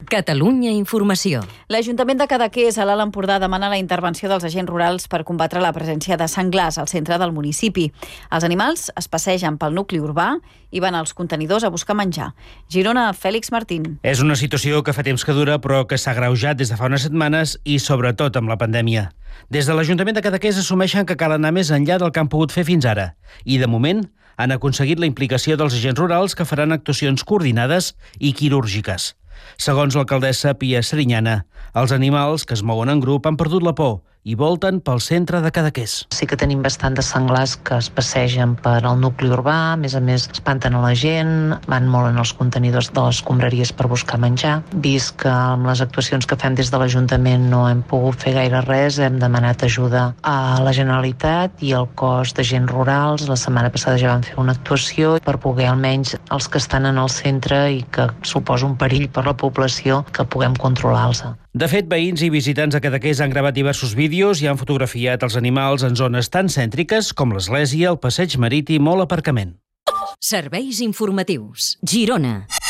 Catalunya Informació. L'Ajuntament de Cadaqués, a l'Alt Empordà, demana la intervenció dels agents rurals per combatre la presència de senglars al centre del municipi. Els animals es passegen pel nucli urbà i van als contenidors a buscar menjar. Girona, Fèlix Martín. És una situació que fa temps que dura, però que s'ha agreujat des de fa unes setmanes i sobretot amb la pandèmia. Des de l'Ajuntament de Cadaqués assumeixen que cal anar més enllà del que han pogut fer fins ara. I, de moment, han aconseguit la implicació dels agents rurals que faran actuacions coordinades i quirúrgiques. Segons l'alcaldessa Pia Serinyana, els animals que es mouen en grup han perdut la por i volten pel centre de Cadaqués. Sí que tenim bastant de senglars que es passegen per al nucli urbà, a més espanten a la gent, van molt en els contenidors de les escombraries per buscar menjar. Vist que amb les actuacions que fem des de l'Ajuntament no hem pogut fer gaire res, hem demanat ajuda a la Generalitat i al cos d'agents rurals. La setmana passada ja vam fer una actuació per poder almenys els que estan en el centre i que suposa un perill per la població que puguem controlar-los. De fet, veïns i visitants de Cadaqués han gravat diversos vídeos i han fotografiat els animals en zones tan cèntriques com l'església, el passeig marítim o l'aparcament. Serveis informatius. Girona.